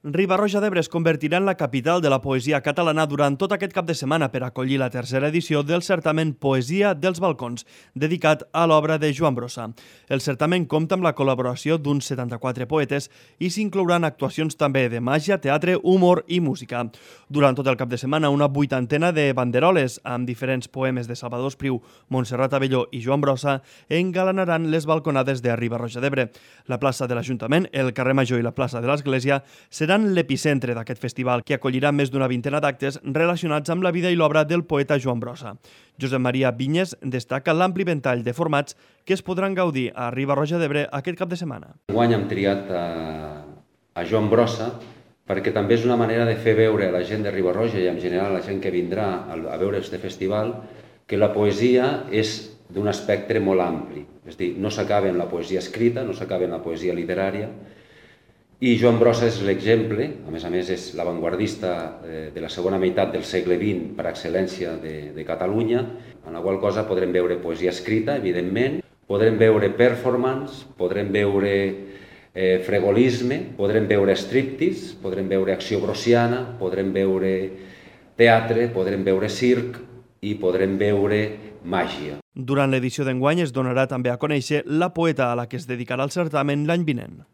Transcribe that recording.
Riba-roja d'Ebre es convertirà en la capital de la poesia catalana durant tot aquest cap de setmana per acollir la tercera edició del certamen Poesia dels Balcons, dedicat a l'obra de Joan Brossa. El certamen compta amb la col·laboració d'uns 74 poetes i s'inclouran actuacions també de màgia, teatre, humor i música. Durant tot el cap de setmana, una vuitantena de banderoles amb diferents poemes de Salvador Espriu, Montserrat Abelló i Joan Brossa engalanaran les balconades de Riba-roja d'Ebre. La plaça de l'Ajuntament, el carrer Major i la plaça de l'Església seran l'epicentre d'aquest festival, que acollirà més d'una vintena d'actes relacionats amb la vida i l'obra del poeta Joan Brossa. Josep Maria Vinyes destaca l'ampli ventall de formats que es podran gaudir a Riba-roja d'Ebre aquest cap de setmana. Enguany hem triat a Joan Brossa perquè també és una manera de fer veure a la gent de Riba-roja i en general a la gent que vindrà a veure aquest festival que la poesia és d'un espectre molt ampli. És a dir, no s'acaba en la poesia escrita, no s'acaba en la poesia literària, i Joan Brossa és l'exemple, a més és l'avantguardista de la segona meitat del segle XX per excel·lència de Catalunya, en la qual cosa podrem veure poesia escrita, evidentment, podrem veure performance, podrem veure fregolisme, podrem veure striptease, podrem veure acció brossiana, podrem veure teatre, podrem veure circ i podrem veure màgia. Durant l'edició d'enguany es donarà també a conèixer la poeta a la que es dedicarà el certamen l'any vinent.